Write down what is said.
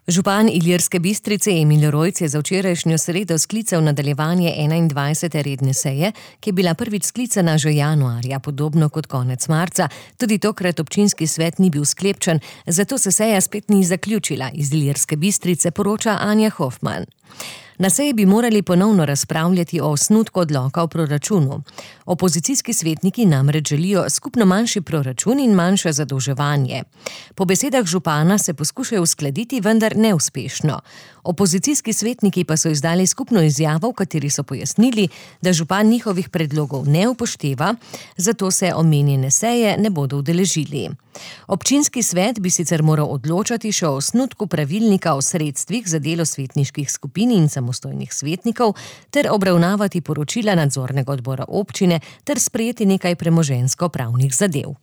Župan Ilirske Bistrice Emil Rojc je za včerajšnjo sredo sklical nadaljevanje 21. redne seje, ki je bila prvič sklicana že januarja, podobno kot konec marca. Tudi tokrat občinski svet ni bil sklepčen, zato se seja spet ni zaključila. Iz Ilirske Bistrice poroča Anja Hofman. Na seji bi morali ponovno razpravljati o osnutku odloka o proračunu. Opozicijski svetniki namreč želijo skupno manjši proračun in manjše zadolževanje. Po besedah župana se poskušajo uskladiti, vendar neuspešno. Opozicijski svetniki pa so izdali skupno izjavo, v kateri so pojasnili, da župan njihovih predlogov ne upošteva, zato se omenjene seje ne bodo udeležili. Občinski svet bi sicer moral odločati še o osnutku pravilnika o sredstvih za delo svetniških skupin in samostojnih svetnikov ter obravnavati poročila nadzornega odbora občine ter sprejeti nekaj premoženjsko-pravnih zadev.